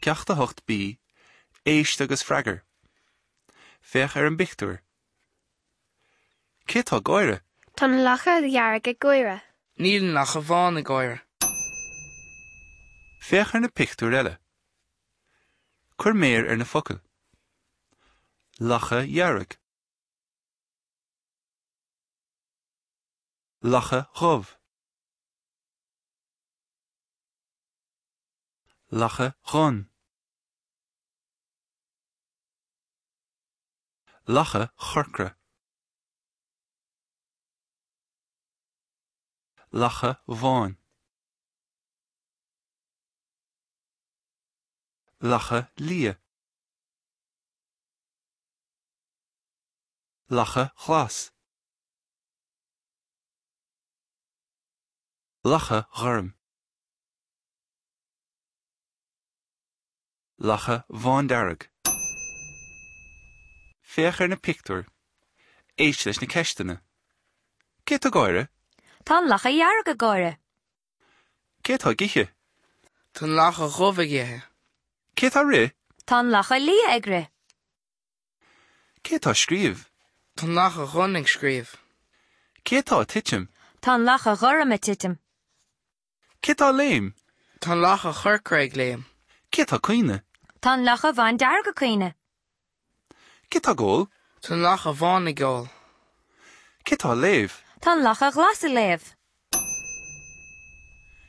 Ceacht 8B, Éist agus freagair. Féach ar an bpictiúr. Cé atá ag gáire? Tá an lacha dhearg ag gáire. Níl an lacha bhán ag gáire. Féach ar na pictiúir eile. Cuir méar ar na focail. Lacha dhearg. Lacha dhubh. Lacha dhonn. Lacha chorcra. Lacha bhán. Lacha liath. Lacha ghlas. Lacha ghorm. Lacha bhándearg. Féach ar na pictiúir. Éist leis na ceisteanna. Cé atá ag gáire? Tá an lacha dhearg ag gáire. Cé atá ag ithe? Tá an lacha dhubh ag ithe. Cé atá ag rith? Tá an lacha liath ag rith. Cé atá ag scríobh? Tá an lacha dhonn ag scríobh. Cé atá ag titim? Tá an lacha ghorm ag titim. Cé atá ag léim? Tá an lacha chorcra ag léim. Cé atá ag caoineadh? Tá an lacha bhándearg ag caoineadh. Cé atá ag ól? Tá an lacha bhán ag ól. Cé atá ag léamh? Tá an lacha ghlas ag léamh.